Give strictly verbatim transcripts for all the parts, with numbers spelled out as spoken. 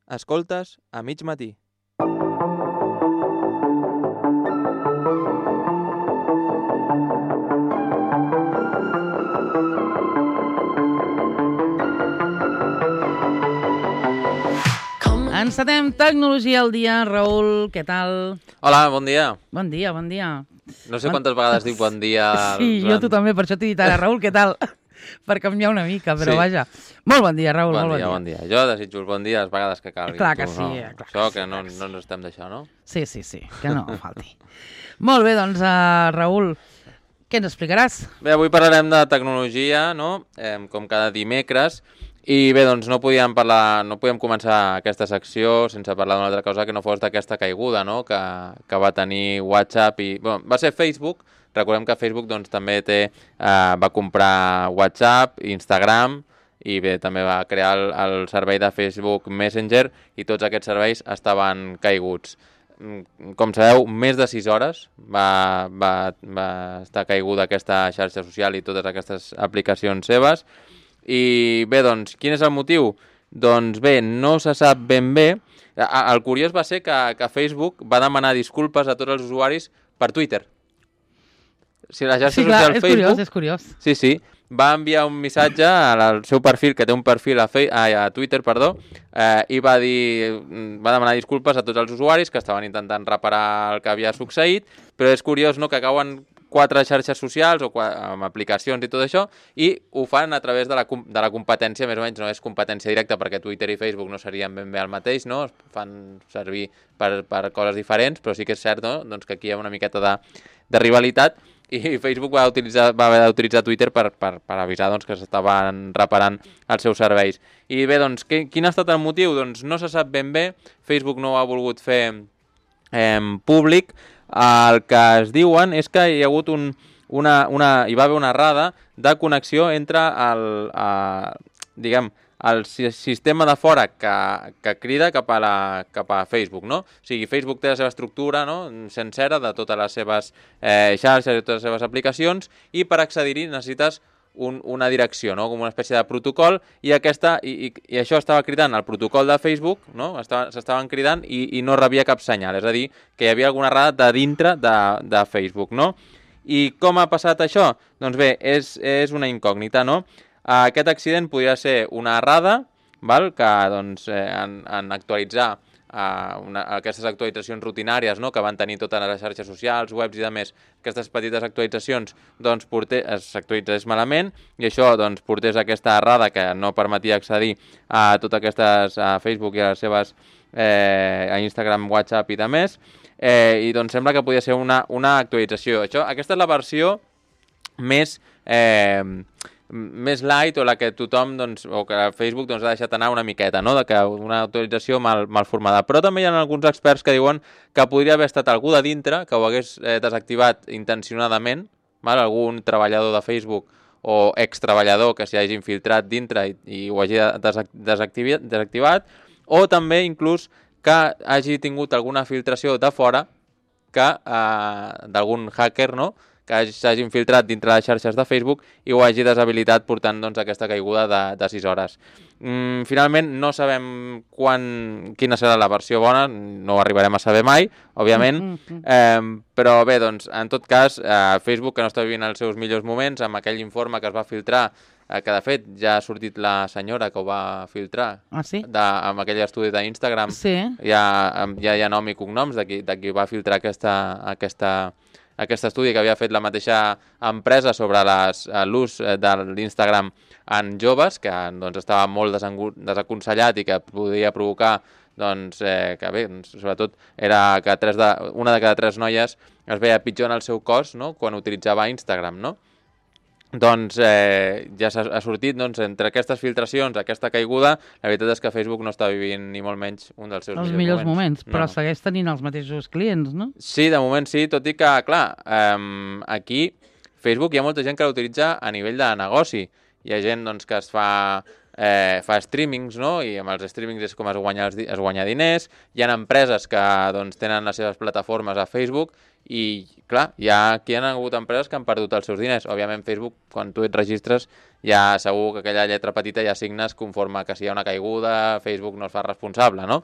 Escoltes a mig matí. Encetem Tecnologia al dia. Raül, què tal? Hola, bon dia. Bon dia, bon dia. No sé quantes vegades dic bon dia. Sí, jo tu també, per això t'he dit ara, Raül, què tal? Per canviar una mica, però Sí. vaja. Molt bon dia, Raül, Bon molt dia, bon bon dia. dia. Jo desitjo el bon dia les vegades que calgui. Clar que Tu, sí, no? eh, clar Això que sí, que no, clar que sí. no ens estem d'això, no? Sí, sí, sí, que no falti. Molt bé, doncs, uh, Raül, què ens explicaràs? Bé, avui parlarem de tecnologia, no? Eh, com cada dimecres. I bé, doncs no podíem parlar, no podíem començar aquesta secció sense parlar d'una altra cosa que no fos d'aquesta caiguda, no? Que, que va tenir WhatsApp i... Bueno, va ser Facebook. Recordem que Facebook doncs, també té, eh, va comprar WhatsApp, Instagram i bé, també va crear el, el servei de Facebook Messenger i tots aquests serveis estaven caiguts. Com sabeu, més de sis hores va, va, va estar caiguda aquesta xarxa social i totes aquestes aplicacions seves. I bé, doncs, quin és el motiu? Doncs bé, no se sap ben bé. El curiós va ser que, que Facebook va demanar disculpes a tots els usuaris per Twitter. Si la xarxa Sí, clar, social és Facebook... curiós, és curiós. Sí, sí, va enviar un missatge al seu perfil, que té un perfil a, Fe... a Twitter, perdó, eh, i va dir, va demanar disculpes a tots els usuaris que estaven intentant reparar el que havia succeït, però és curiós, no?, que cauen quatre xarxes socials o amb aplicacions i tot això, i ho fan a través de la, de la competència, més o menys, no és competència directa perquè Twitter i Facebook no serien ben bé el mateix, no? Es fan servir per, per coses diferents, però sí que és cert, no?, doncs que aquí hi ha una miqueta de, de rivalitat, i Facebook va, utilitzar, va haver d'utilitzar Twitter per, per, per avisar doncs, que s'estaven reparant els seus serveis. I bé, doncs, que, quin ha estat el motiu? Doncs no se sap ben bé, Facebook no ho ha volgut fer eh, públic. El que es diuen és que hi ha hagut un, una, una, hi va haver una errada de connexió entre el, eh, diguem, el sistema de fora que, que crida cap a, la, cap a Facebook, no? O sigui, Facebook té la seva estructura, no?, sencera de totes les seves eh, xarxes i totes les seves aplicacions, i per accedir-hi necessites un, una direcció, no?, com una espècie de protocol, i, aquesta, i, i, i això estava cridant el protocol de Facebook, no?, s'estaven cridant i, i no rebia cap senyal, és a dir, que hi havia alguna errada de dintre de, de Facebook, no? I com ha passat això? Doncs bé, és, és una incògnita, no? Aquest accident podria ser una errada, val? Que doncs, eh, en, en actualitzar eh, una, aquestes actualitzacions rutinàries, no?, que van tenir totes les xarxes socials, webs i demés, aquestes petites actualitzacions doncs, s'actualitzés malament, i això doncs, portés aquesta errada que no permetia accedir a totes aquestes, a Facebook i a les seves, eh, a Instagram, WhatsApp i demés, eh, i doncs sembla que podia ser una, una actualització. Això, aquesta és la versió més... Eh, més light, o la que tothom, doncs, o que Facebook doncs, ha deixat anar una miqueta, no?, de que una autorització mal, mal formada. Però també hi ha alguns experts que diuen que podria haver estat algú de dintre que ho hagués eh, desactivat intencionadament, val? Algun treballador de Facebook o extreballador que s'hi hagi infiltrat dintre i, i ho hagi desactivat, desactivat, o també inclús que hagi tingut alguna filtració de fora que eh, d'algun hacker, no?, que s'hagi infiltrat dintre les xarxes de Facebook i ho hagi deshabilitat, portant doncs, aquesta caiguda de, de sis hores. Mm, finalment, no sabem quan, quina serà la versió bona, no ho arribarem a saber mai, òbviament, eh, però bé, doncs, en tot cas, eh, Facebook, que no està vivint els seus millors moments, amb aquell informe que es va filtrar, eh, que de fet ja ha sortit la senyora que ho va filtrar, ah, sí? de, amb aquell estudi d'Instagram, sí. ja, ja hi ha nom i cognoms de qui, de qui va filtrar aquesta... aquesta aquest estudi que havia fet la mateixa empresa sobre l'ús de l'Instagram en joves, que doncs, estava molt desaconsellat i que podia provocar, doncs, eh, que bé, sobretot era que tres de, una de cada tres noies es veia pitjor en el seu cos, no?, quan utilitzava Instagram, no? Doncs eh, ja ha sortit, doncs, entre aquestes filtracions, aquesta caiguda, la veritat és que Facebook no està vivint ni molt menys un dels seus els millors, millors moments. moments. Però no, no. segueix tenint els mateixos clients, no? Sí, de moment sí, tot i que, clar, eh, aquí Facebook hi ha molta gent que l'utilitza a nivell de negoci. Hi ha gent doncs, que es fa eh, fa streamings, no? I amb els streamings és com es guanya, els, es guanya diners. Hi ha empreses que doncs, tenen les seves plataformes a Facebook i, clar, hi ha, aquí hi ha hagut empreses que han perdut els seus diners. Òbviament, Facebook, quan tu et registres, ja segur que aquella lletra petita ja signes conforme que si hi ha una caiguda, Facebook no es fa responsable, no?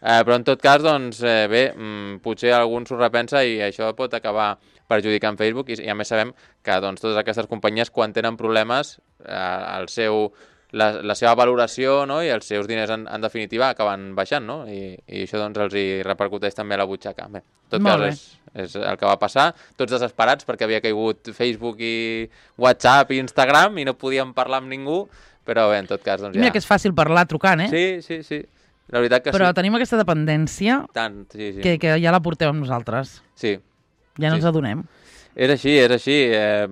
Eh, però en tot cas, doncs, eh, bé, mm, potser algú s'ho repensa i això pot acabar perjudicant Facebook i, i a més sabem que doncs, totes aquestes companyies quan tenen problemes eh, el seu, la, la seva valoració, no? I els seus diners en, en definitiva acaben baixant, no? I, i això doncs, els hi repercuteix també a la butxaca. Bé, en tot Molt cas és, és el que va passar, tots desesperats perquè havia caigut Facebook i WhatsApp i Instagram i no podíem parlar amb ningú, però bé, en tot cas doncs ja... Mira que és fàcil parlar trucant, eh? Sí, sí, sí. La veritat que Però sí. tenim aquesta dependència Tant, sí, sí. que, que ja la portem amb nosaltres. Sí. Ja no Sí. ens adonem. És així, és així. Eh,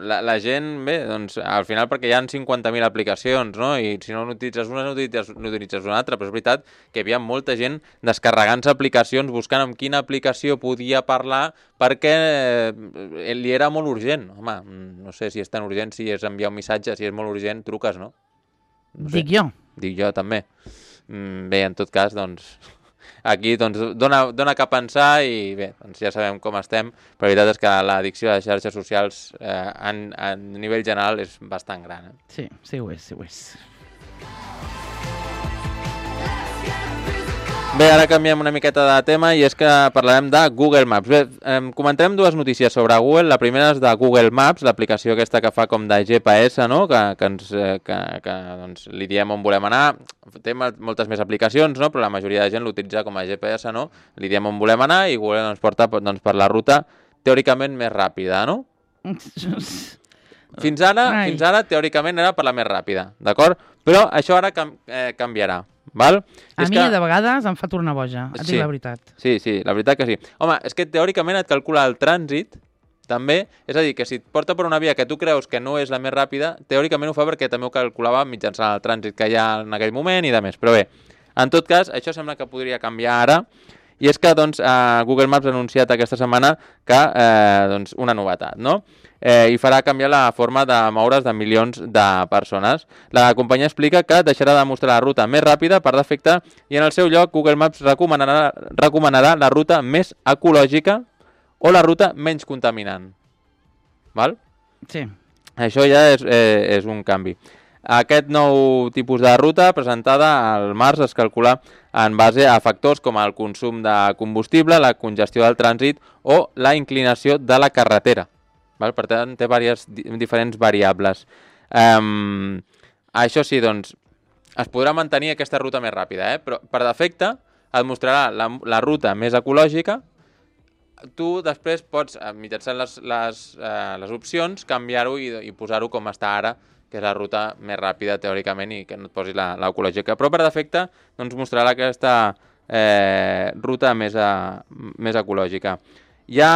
la, la gent, bé, doncs, al final perquè hi ha cinquanta mil aplicacions, no? I si no n'utilitzes una, n'utilitzes, n'utilitzes una altra, però és veritat que hi havia molta gent descarregant-se aplicacions, buscant amb quina aplicació podia parlar perquè eh, li era molt urgent. Home, no sé si és tan urgent, si és enviar un missatge, si és molt urgent, truques, no? No sé. Dic jo. Dic jo, també. Bé, en tot cas, doncs, aquí doncs, dona, dona que pensar i bé, doncs ja sabem com estem, però la veritat és que l'addicció a les xarxes socials eh, en, en nivell general és bastant gran. Eh? Sí, sí ho és, sí ho és. Bé, ara canviem una miqueta de tema i és que parlarem de Google Maps. Bé, eh, comentarem dues notícies sobre Google. La primera és de Google Maps, l'aplicació aquesta que fa com de G P S, no? que, que, ens, eh, que, que doncs, li diem on volem anar. Té moltes més aplicacions, no? Però la majoria de gent l'utilitza com a G P S, no? Li diem on volem anar i Google ens porta doncs, per la ruta teòricament més ràpida, no? Fins ara, fins ara, teòricament, era per la més ràpida, d'acord? Però això ara cam eh, canviarà. Val? A és mi que... de vegades em fa tornar boja, et Sí. dic la veritat. Sí, sí, la veritat que sí. Home, és que teòricament et calcula el trànsit, també, és a dir, que si et porta per una via que tu creus que no és la més ràpida, teòricament ho fa perquè també ho calculava mitjançant el trànsit que hi ha en aquell moment i de més. Però bé, en tot cas, això sembla que podria canviar ara, i és que doncs, eh, Google Maps ha anunciat aquesta setmana que, eh, doncs, una novetat, no? Eh, i farà canviar la forma de moure's de milions de persones. La companyia explica que deixarà de mostrar la ruta més ràpida per defecte i en el seu lloc Google Maps recomanarà, recomanarà la ruta més ecològica o la ruta menys contaminant. Val? Sí. Això ja és, eh, és un canvi. Aquest nou tipus de ruta presentada al març es calcula en base a factors com el consum de combustible, la congestió del trànsit o la inclinació de la carretera. Val? Per tant, té diverses, diferents variables. Um, això sí, doncs, es podrà mantenir aquesta ruta més ràpida, eh? Però per defecte et mostrarà la, la ruta més ecològica. Tu després pots, mitjançant les, les, eh, les opcions, canviar-ho i, i posar-ho com està ara, que és la ruta més ràpida teòricament i que no et posi l'ecològica. Però per defecte doncs, mostrarà aquesta eh, ruta més, a, més ecològica. Hi ha...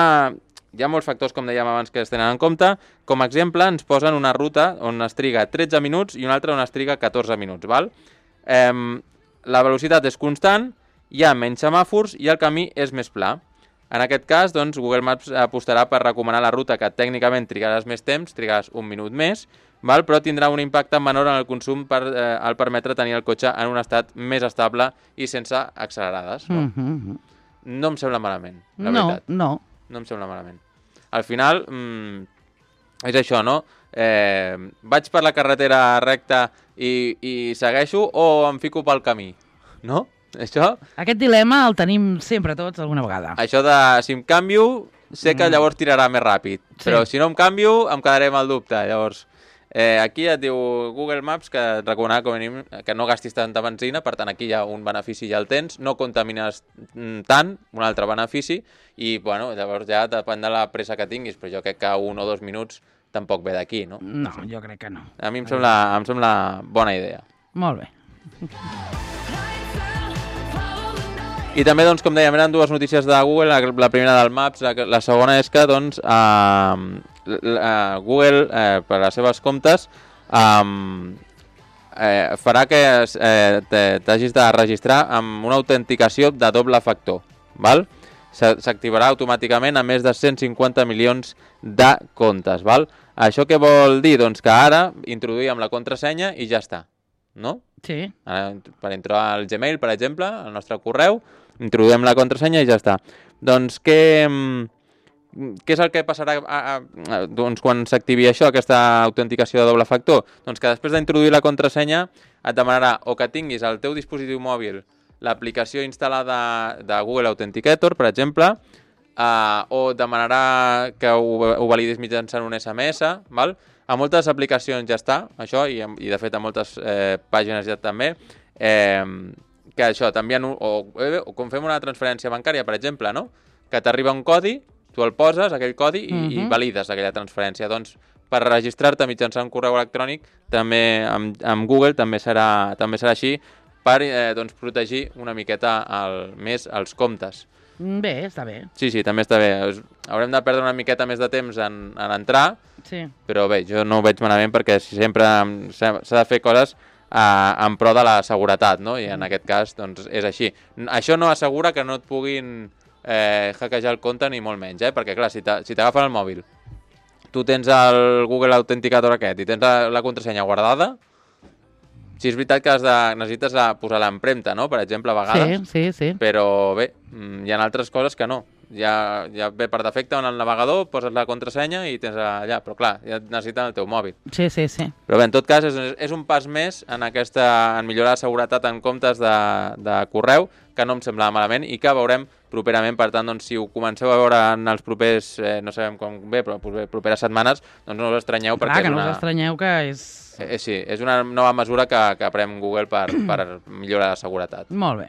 Hi ha molts factors, com dèiem abans, que es tenen en compte. Com a exemple, ens posen una ruta on es triga tretze minuts i una altra on es triga catorze minuts. Val? Eh, la velocitat és constant, hi ha menys semàfors i el camí és més pla. En aquest cas, doncs, Google Maps apostarà per recomanar la ruta que tècnicament trigaràs més temps, trigaràs un minut més, val? Però tindrà un impacte menor en el consum per, eh, al permetre tenir el cotxe en un estat més estable i sense accelerades. No, Mm -hmm. no em sembla malament, la no, veritat. no. No em sembla malament. Al final, mmm, és això, no? Eh, vaig per la carretera recta i, i segueixo o em fico pel camí, no? Això, Aquest dilema el tenim sempre tots alguna vegada. això de si em canvio, sé que llavors tirarà més ràpid, Sí. però si no em canvio em quedaré amb el dubte. Llavors, eh, aquí et diu Google Maps que et recomanarà com a mínim que no gastis tanta benzina, per tant aquí hi ha un benefici ja el tens, no contamines tant, un altre benefici, i bueno, llavors ja depèn de la pressa que tinguis, però jo crec que un o dos minuts tampoc ve d'aquí, no? No, jo crec que no. A mi em sembla, em sembla bona idea. Molt bé. I també, doncs, com dèiem, eren dues notícies de Google, la, la primera del Maps, la, la segona és que, doncs, eh, eh, Google, eh, per a les seves comptes, eh, eh, farà que eh, t'hagis de registrar amb una autenticació de doble factor, val? S'activarà automàticament a més de cent cinquanta milions de comptes, val? Això què vol dir? Doncs que ara introduïm la contrasenya i ja està, no? Sí. Ara, per entrar al Gmail, per exemple, al nostre correu, introduïm la contrasenya i ja està. Doncs què, què és el que passarà a, a, a, doncs, quan s'activi això, aquesta autenticació de doble factor? Doncs que després d'introduir la contrasenya et demanarà o que tinguis al teu dispositiu mòbil l'aplicació instal·lada de Google Authenticator, per exemple, uh, o demanarà que ho, ho validis mitjançant un S M S, val? A moltes aplicacions ja està, això, i, i de fet a moltes eh, pàgines ja també, eh, que això, t'envien, un, o, o com fem una transferència bancària, per exemple, no? Que t'arriba un codi, tu el poses, aquell codi, i, uh-huh. i valides aquella transferència. Doncs per registrar-te mitjançant un correu electrònic, també amb, amb Google també serà, també serà així, per eh, doncs, protegir una miqueta el, més els comptes. Bé, està bé. Sí, sí, també està bé. Haurem de perdre una miqueta més de temps en, en entrar, sí. Però bé, jo no ho veig malament perquè sempre s'ha de fer coses eh, en pro de la seguretat, no? I en aquest cas doncs, és així. Això no assegura que no et puguin eh, hackejar el compte ni molt menys, eh? Perquè clar, si t'agafen el mòbil, tu tens el Google Authenticator aquest i tens la, la contrasenya guardada, sí, és veritat que has de, necessites posar l'empremta, no? Per exemple, a vegades. Sí, sí, sí. Però bé, hi ha altres coses que no. Ja, ja ve per defecte en el navegador, poses la contrasenya i tens allà. Però clar, ja necessiten el teu mòbil. Sí, sí, sí. Però bé, en tot cas, és, és un pas més en, aquesta, en millorar la seguretat en comptes de, de correu, que no em sembla malament i que veurem properament. Per tant, doncs, si ho comenceu a veure en els propers, eh, no sabem com bé, però properes setmanes, doncs no us estranyeu. Clar, perquè que és no una... us estranyeu que és... Eh, sí, és una nova mesura que, que pren Google per, per millorar la seguretat. Molt bé.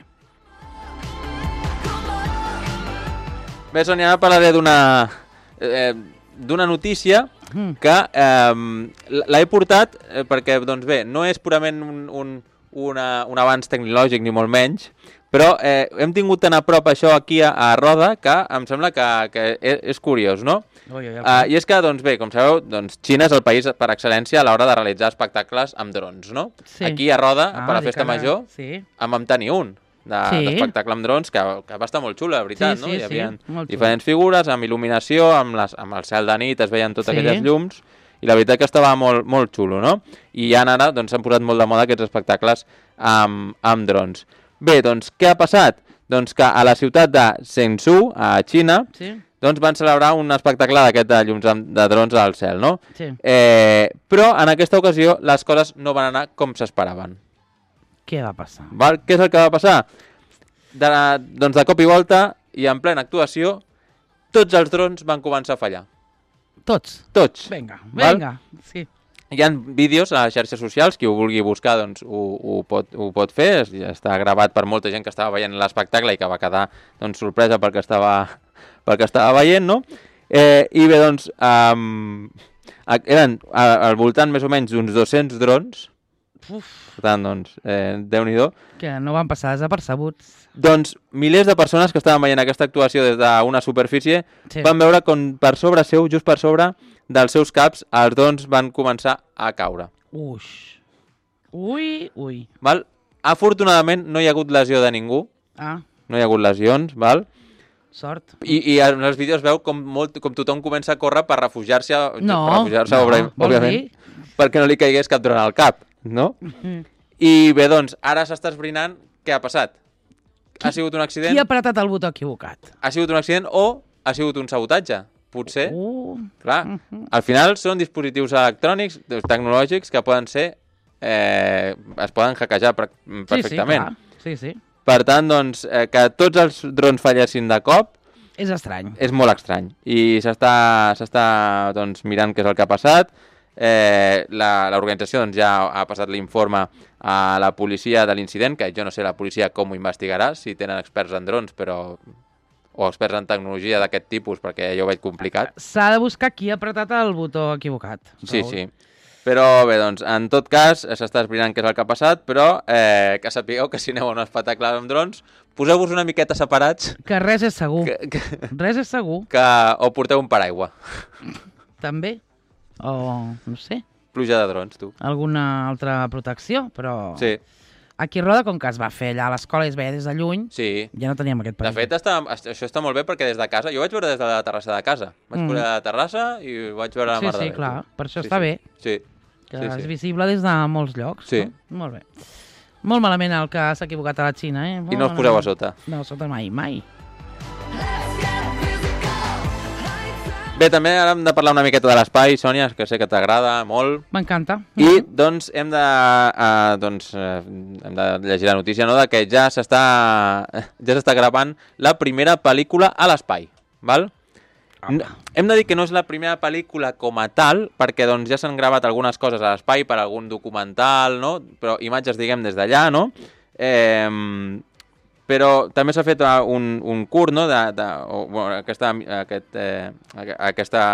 Bé, Sònia, ara parlaré d'una eh, d'una notícia mm. que eh, l'he portat eh, perquè, doncs bé, no és purament un, un, una, un avanç tecnològic ni molt menys, però eh, hem tingut tan a prop això aquí a, a Roda que em sembla que, que és, és curiós, no? Ui, ui, ui. Uh, I és que, doncs bé, com sabeu, doncs, Xina és el país per excel·lència a l'hora de realitzar espectacles amb drons, no? Sí. Aquí a Roda, ah, per la Festa que... Major, sí. en vam tenir un d'espectacle de, sí. amb drons que, que va estar molt xulo, la veritat, sí, no? Sí, Hi havia sí, diferents figures, amb il·luminació, amb, les, amb el cel de nit, es veien totes sí. aquelles llums, i la veritat que estava molt, molt xulo, no? I ja ara doncs, s'han posat molt de moda aquests espectacles amb, amb drons. Bé, doncs, què ha passat? Doncs que a la ciutat de Shenzhou, a Xina, sí. doncs van celebrar un espectacle d'aquest de llums de drons al cel, no? Sí. Eh, però en aquesta ocasió les coses no van anar com s'esperaven. Què va passar? Val? Què és el que va passar? De, doncs de cop i volta, i en plena actuació, tots els drons van començar a fallar. Tots? Tots. Vinga, vinga, sí. Hi ha vídeos a les xarxes socials, qui ho vulgui buscar doncs, ho, ho, pot, ho pot fer, està gravat per molta gent que estava veient l'espectacle i que va quedar doncs, sorpresa pel que estava, pel que estava veient, no? Eh, I bé, doncs, um, eren al voltant més o menys d'uns dos-cents drons. Uf. Per tant, doncs, eh, Déu-n'hi-do. Que no van passar desapercebuts. Doncs milers de persones que estaven veient aquesta actuació des d'una superfície sí. van veure com per sobre seu, just per sobre dels seus caps, els drons van començar a caure. Uix. Ui, ui. Val? Afortunadament no hi ha hagut lesió de ningú. Ah. No hi ha hagut lesions, val? Sort. I, i en els vídeos veu com, molt, com tothom comença a córrer per refugiar-se, no, per refugiar-se, no, òbviament, perquè no li caigués cap dron al cap, no? Mm-hmm. I bé, doncs, ara s'està esbrinant què ha passat. Qui, ha sigut un accident? Qui ha apretat el botó equivocat? Ha sigut un accident o ha sigut un sabotatge. Potser, uh, clar, uh-huh. al final són dispositius electrònics, tecnològics, que poden ser, eh, es poden hackejar per, perfectament. Sí, sí, sí. Per tant, doncs, eh, que tots els drons fallessin de cop... És estrany. És molt estrany. I s'està s'està doncs, mirant què és el que ha passat. Eh, L'organització doncs, ja ha passat l'informe a la policia de l'incident, que jo no sé la policia com ho investigarà, si tenen experts en drons, però... o experts en tecnologia d'aquest tipus, perquè jo ho veig complicat. S'ha de buscar qui ha apretat el botó equivocat. Sí, Raül. Sí. Però bé, doncs, en tot cas, s'està esbrinant què és el que ha passat, però eh, que sapigueu que si aneu a un espectacle amb drons, poseu-vos una miqueta separats. Que res és segur. Que, que, res és segur. Que, o porteu un paraigua. També. O, no sé. Pluja de drons, tu. Alguna altra protecció, però... Sí. Aquí a Roda, com que es va fer allà a l'escola i es veia des de lluny, sí. ja no teníem aquest perill. De fet, està, això està molt bé perquè des de casa... Jo vaig veure des de la terrassa de casa. Vaig mm. posar a la terrassa i vaig veure la sí, mar de de Sí, sí, clar. Per això sí, està sí. bé. Sí. que sí, és sí. visible des de molts llocs. Sí. No? Molt bé. Molt malament el que s'ha equivocat a la Xina, eh? Molt I no us poseu a malament. sota. No, a sota mai, mai. Bé, també ara hem de parlar una miqueta de l'espai, Sònia, que sé que t'agrada molt. M'encanta. I, doncs, hem de, uh, doncs, uh, hem de llegir la notícia, no?, de que ja s'està ja s'està gravant la primera pel·lícula a l'espai, val? No, hem de dir que no és la primera pel·lícula com a tal, perquè doncs, ja s'han gravat algunes coses a l'espai per algun documental, no?, però imatges, diguem, des d'allà, no? Eh, però també s'ha fet un, un curt, no?, de, de, o, bueno, aquesta, aquest, eh, aquesta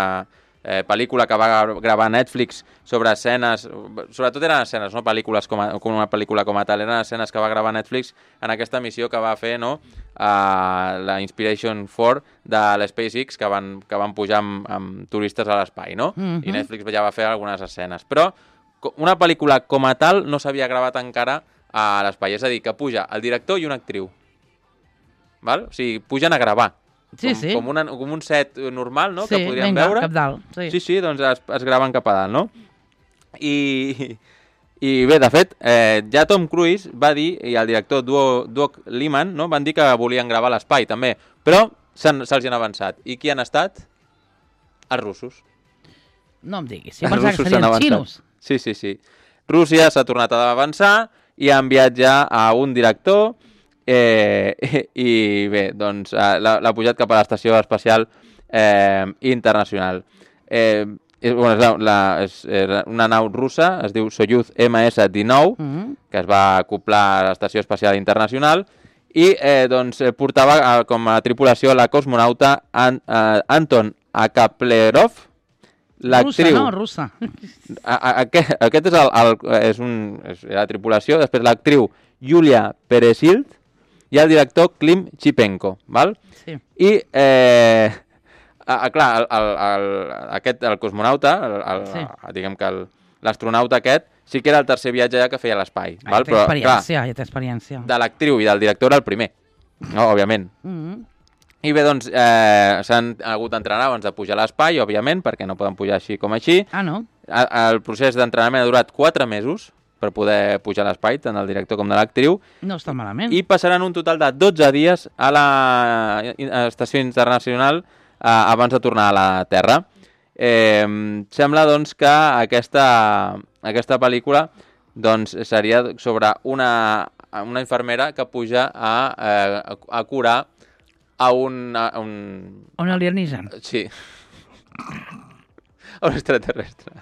eh, pel·lícula que va gravar Netflix sobre escenes, sobretot eren escenes, no pel·lícules com, a, com una pel·lícula com a tal, eren escenes que va gravar Netflix en aquesta missió que va fer, no?, a la Inspiration quatre de l'SpaceX, que van, que van pujar amb, amb turistes a l'espai, no? Mm-hmm. I Netflix ja va fer algunes escenes. Però una pel·lícula com a tal no s'havia gravat encara a l'espai, és a dir, que puja el director i una actriu. Val? O sigui, pugen a gravar. Sí, com, sí. Com, una, com un set normal, no?, sí, que podríem venga, veure. cap dalt. Sí, sí, sí, doncs es, es graven cap a dalt, no? I, i bé, de fet, eh, ja Tom Cruise va dir, i el director Doug Liman, no?, van dir que volien gravar a l'espai, també. Però se'ls se han avançat. I qui han estat? Els russos. No em diguis. Si pensava que serien xinos. Sí, sí, sí. Rússia s'ha tornat a avançar i ha enviat ja a un director. Eh, i bé, doncs l'ha pujat cap a l'estació espacial eh, internacional. Eh, és, bueno, és, la, la, és, és una nau russa, es diu Soyuz eme esse dinou, mm-hmm. que es va acoplar a l'estació espacial internacional i eh, doncs, portava eh, com a tripulació la cosmonauta An, eh, Anton Akaplerov, l'actriu... Russa, no? Russa. A, a, aquest, aquest és, el, el, és, un, és la tripulació, després l'actriu Yulia Peresild, i el director Klim Chipenko, val? Sí. I, eh, a, a, clar, el, el, el, aquest, el cosmonauta, el, el, sí. diguem que l'astronauta aquest, sí que era el tercer viatge ja que feia a l'espai. Ah, ja té experiència, ja té experiència. De l'actriu i del director era el primer, no, òbviament. Mm-hmm. I bé, doncs, eh, s'han hagut d'entrenar abans de pujar a l'espai, òbviament, perquè no poden pujar així com així. Ah, no? El, el procés d'entrenament ha durat quatre mesos, per poder pujar a l'espai, tant del director com de l'actriu. No està malament. I passaran un total de dotze dies a l'estació internacional eh, abans de tornar a la Terra. Eh, sembla, doncs, que aquesta, aquesta pel·lícula doncs, seria sobre una, una infermera que puja a, eh, a curar a un... A un... un alienígen. Sí. A un extraterrestre.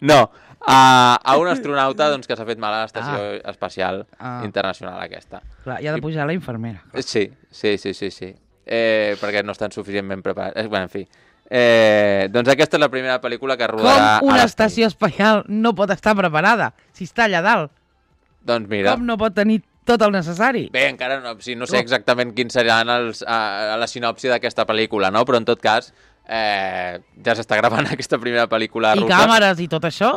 No, a, a un astronauta doncs, que s'ha fet mal a l'estació ah. espacial ah. internacional aquesta. Clar, i ha de pujar I... la infermera. Clar. Sí, sí, sí, sí, sí. Eh, perquè no estan suficientment preparats. Eh, bueno, en fi. Eh, doncs aquesta és la primera pel·lícula que rodarà... Com una estació espacial no pot estar preparada si està allà dalt? Doncs mira... Com no pot tenir tot el necessari? Bé, encara no, sí, no sé exactament quins seran els, a, a la sinopsi d'aquesta pel·lícula, no? Però en tot cas, eh, ja s'està gravant aquesta primera pel·lícula I russa. I càmeres i tot això?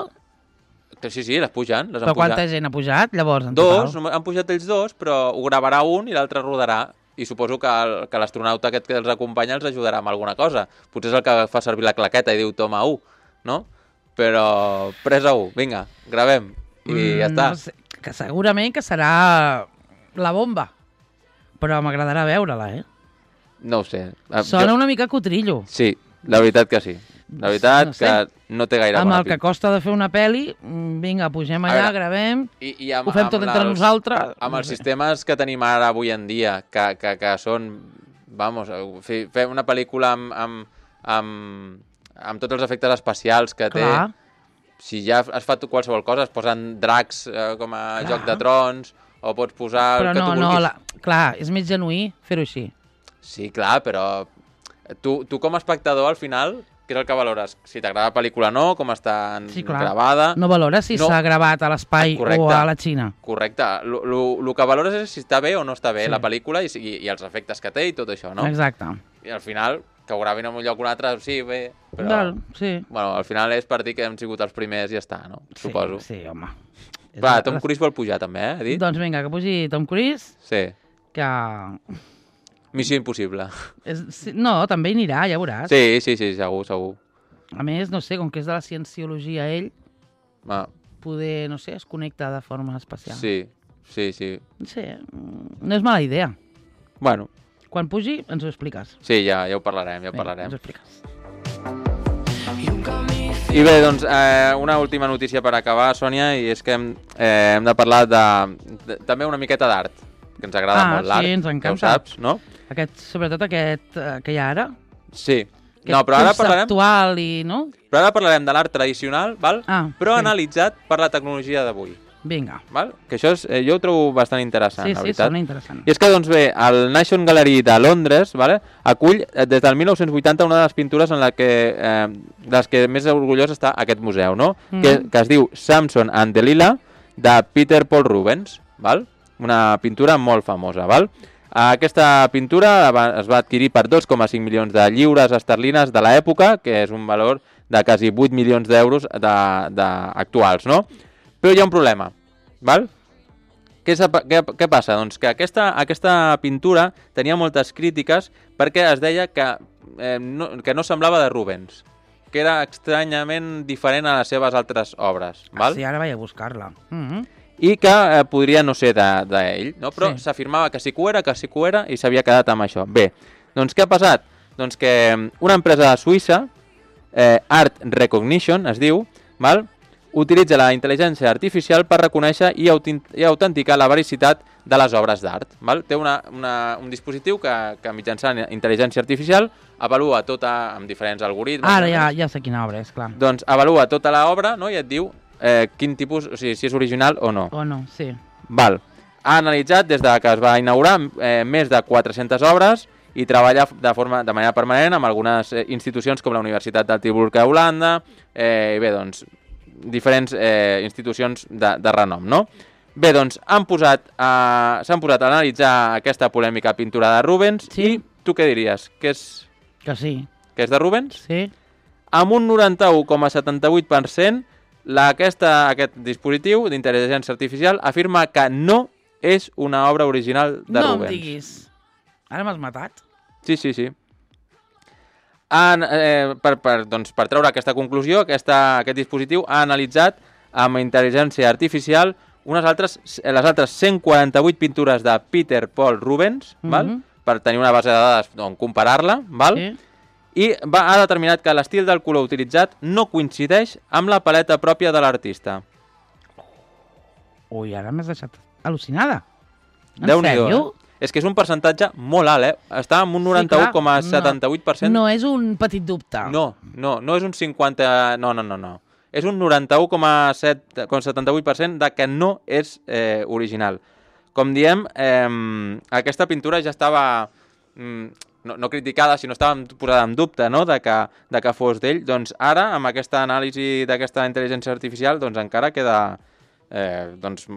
Sí, sí, les pugen. Les però han quanta pujat. gent ha pujat, llavors, en Dos, total? han pujat ells dos, però ho gravarà un i l'altre rodarà. I suposo que, el, que l'astronauta aquest que els acompanya els ajudarà amb alguna cosa. Potser és el que fa servir la claqueta i diu toma u, no? Però presa u, vinga, gravem. I mm, ja està. No sé, que segurament que serà la bomba. Però m'agradarà veure-la, eh? No ho sé. Sona jo... una mica cotrillo. Sí, la veritat que sí. La veritat no sé. que no té gaire amb bona el que costa de fer una pel·li, vinga, pugem allà, veure, gravem, i, i amb, ho fem tot entre els, nosaltres. Amb els sistemes que tenim ara avui en dia, que, que, que són, vamos, fer una pel·lícula amb, amb, amb, amb tots els efectes especials que Clar. té, si ja es fa qualsevol cosa, es posen dracs eh, com a Clar. Joc de Trons, o pots posar però el que no, tu vulguis. No, la... clar, és més genuí fer-ho així. Sí, clar, però tu, tu com a espectador, al final... Què és el que valores? Si t'agrada la pel·lícula o no, com està sí, gravada... No valores si no. s'ha gravat a l'espai o a la Xina. Correcte. El que valores és si està bé o no està bé sí. la pel·lícula i, i, i els efectes que té i tot això, no? Exacte. I al final, que ho gravin en un lloc o un altre, sí, bé, però... Val, sí. Bueno, al final és per dir que hem sigut els primers i ja està, no? Sí, Suposo. Sí, home. Va, Tom Cruise vol pujar també, eh? Dit? Doncs vinga, que pugi Tom Cruise. Sí. Que... Missió impossible. És... No, també hi anirà, ja veuràs. Sí, sí, sí, segur, segur. A més, no sé, com que és de la cienciologia ell, Ah, poder, no sé, es connecta de forma especial. sí, sí, sí. No sé, no és mala idea. Bueno, Quan pugi, ens ho expliques. sí, ja, ja ho parlarem, ja ho Vinga, parlarem. ens ho expliques. I bé, doncs, eh, una última notícia per acabar, Sònia, i és que hem, eh, hem de parlar de, de també una miqueta d'art, que ens agrada Ah, molt l'art, sí, ens ja ho encanta. saps, no? Aquest, sobretot aquest eh, que hi ha ara. Sí. Aquest No, però ara parlarem, conceptual i, no? però ara parlarem de l'art tradicional, val? Ah, però sí. analitzat per la tecnologia d'avui. Vinga. Val? Que això és, eh, jo ho trobo bastant interessant, Sí, la sí, veritat. sona interessant. I és que, doncs bé, el National Gallery de Londres, vale, acull eh, des del mil nou-cents vuitanta una de les pintures en la que, eh, de les que més orgullós està aquest museu, no? Mm. que, que es diu Samson and Delilah, de Peter Paul Rubens, val? Una pintura molt famosa. Val? Aquesta pintura va, es va adquirir per dos coma cinc milions de lliures esterlines de l'època, que és un valor de quasi vuit milions d'euros de, de actuals, no? Però hi ha un problema, val? Què, què, què passa? Doncs que aquesta, aquesta pintura tenia moltes crítiques perquè es deia que, eh, no, que no semblava de Rubens, que era estranyament diferent a les seves altres obres. Val? Ah, sí, ara vaig a buscar-la. Mm -hmm. I que eh, podria no ser d'ell, de, no? Però Sí. s'afirmava que sí que ho era, que sí que ho era, i s'havia quedat amb això. Bé, doncs què ha passat? Doncs que una empresa suïssa, eh, Art Recognition es diu, val? utilitza la intel·ligència artificial per reconèixer i, i autenticar la vericitat de les obres d'art. Té una, una, un dispositiu que, que mitjançant intel·ligència artificial avalua tota, amb diferents algoritmes. Ara ja, ja sé quina obra és, clar. Doncs avalua tota l'obra, no? I et diu eh, quin tipus, o sigui, si és original o no. O no, sí. Val. Ha analitzat des de que es va inaugurar eh, més de quatre-centes obres i treballa de, forma, de manera permanent amb algunes eh, institucions com la Universitat del Tilburg a Holanda, eh, i bé, doncs, diferents eh, institucions de, de renom, no? Bé, doncs, han posat a, s'han posat a analitzar aquesta polèmica pintura de Rubens. Sí. I tu què diries? Que és, Que sí. que és de Rubens? Sí. Amb un noranta-u coma setanta-vuit per cent, la, aquesta, aquest dispositiu d'intel·ligència artificial afirma que no és una obra original de no Rubens. No em diguis. Ara m'has matat. Sí, sí, sí. Han, eh, per, per, doncs, per treure aquesta conclusió, aquesta, aquest dispositiu ha analitzat amb intel·ligència artificial unes altres, les altres cent quaranta-vuit pintures de Peter Paul Rubens, mm -hmm. val? Per tenir una base de dades on comparar-la, val? Sí. I va, ha determinat que l'estil del color utilitzat no coincideix amb la paleta pròpia de l'artista. Ui, ara m'has deixat al·lucinada. En Déu-n'hi-do, sèrio? eh? És que és un percentatge molt alt, eh? Està en un noranta-u coma setanta-vuit per cent. No, no és un petit dubte. No, no, no és un cinquanta... No, no, no, no. És un noranta-u coma setanta-vuit per cent de que no és eh, original. Com diem, eh, aquesta pintura ja estava... Mm, no, no criticada, sinó estava posada en dubte, no?, de que, de que fos d'ell. Doncs ara, amb aquesta anàlisi d'aquesta intel·ligència artificial, doncs encara queda eh, doncs,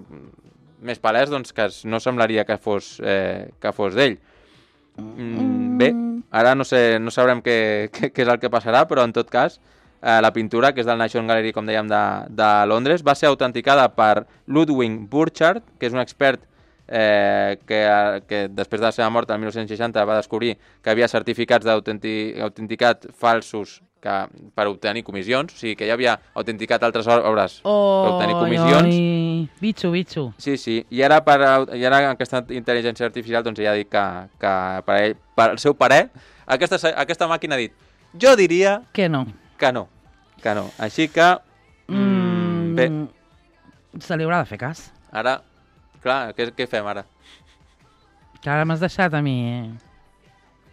més palès doncs, que no semblaria que fos, eh, que fos d'ell. Mm, bé, ara no sé, no sabrem què, què, què és el que passarà, però en tot cas, eh, la pintura, que és del National Gallery, com dèiem, de, de Londres, va ser autenticada per Ludwig Burchard, que és un expert Eh, que, que després de la seva mort el mil nou-cents seixanta va descobrir que havia certificats d'autenticat falsos que, per obtenir comissions, o sigui que ja havia autenticat altres obres oh, per obtenir comissions. Oi, bitxo, bitxo. Sí, sí, i ara, per, i ara aquesta intel·ligència artificial doncs ja ha dit que, que per, ell, per el seu parer aquesta, aquesta màquina ha dit, jo diria que no, que no, que no. Així que mm, bé, se li haurà de fer cas. Ara clar, què, què fem ara? Que ara m'has deixat a mi... Eh?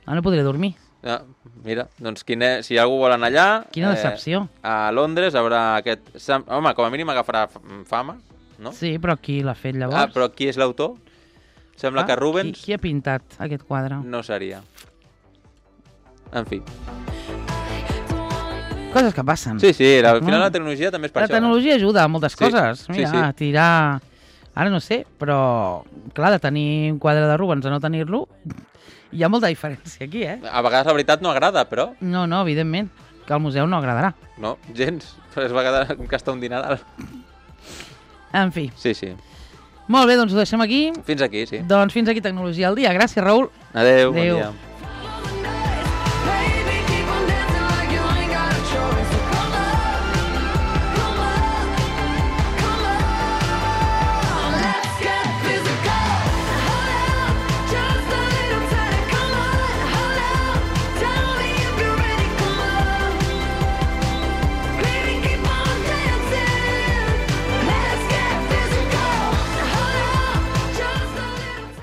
Ara no podré dormir. Ah, mira, doncs quina, si algú vol anar allà... Quina decepció. Eh, a Londres haurà aquest... Home, com a mínim agafarà fama, no? Sí, però qui l'ha fet llavors? Ah, però qui és l'autor? Sembla ah, que Rubens... Qui, qui ha pintat aquest quadre? No seria. En fi. Coses que passen. Sí, sí, al final la tecnologia també és per la això. La tecnologia eh? ajuda a moltes sí, coses. Mira, sí, sí. tirar... Ara no sé, però, clar, de tenir un quadre de Rubens a no tenir-lo, hi ha molta diferència aquí, eh? A vegades la veritat no agrada, però... No, no, evidentment, que al museu no agradarà. No, gens, però es va quedar gastar un dineral. En fi. Sí, sí. Molt bé, doncs ho deixem aquí. Fins aquí, sí. Doncs fins aquí Tecnologia al dia. Gràcies, Raül. Adéu, Adéu. bon dia.